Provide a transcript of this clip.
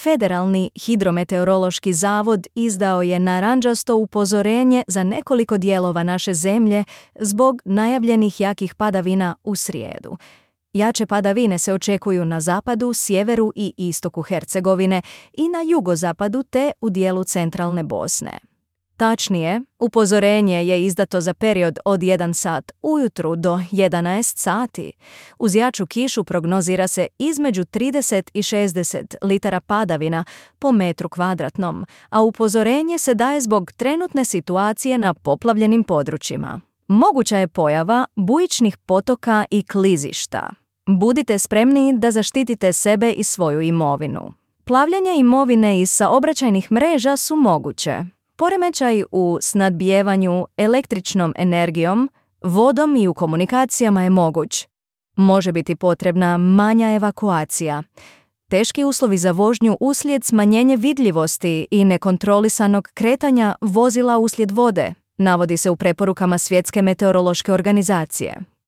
Federalni hidrometeorološki zavod izdao je narančasto upozorenje za nekoliko dijelova naše zemlje zbog najavljenih jakih padavina u srijedu. Jače padavine se očekuju na zapadu, sjeveru i istoku Hercegovine i na jugozapadu te u dijelu centralne Bosne. Tačnije, upozorenje je izdato za period od 1 sat ujutru do 11 sati. Uz jaču kišu prognozira se između 30 i 60 litara padavina po metru kvadratnom, a upozorenje se daje zbog trenutne situacije na poplavljenim područjima. Moguća je pojava bujičnih potoka i klizišta. Budite spremni da zaštitite sebe i svoju imovinu. Plavljenje imovine iz saobraćajnih mreža su moguće. Poremećaj u snadbijevanju električnom energijom, vodom i u komunikacijama je moguć. Može biti potrebna manja evakuacija. Teški uslovi za vožnju uslijed smanjenja vidljivosti i nekontrolisanog kretanja vozila uslijed vode, navodi se u preporukama Svjetske meteorološke organizacije.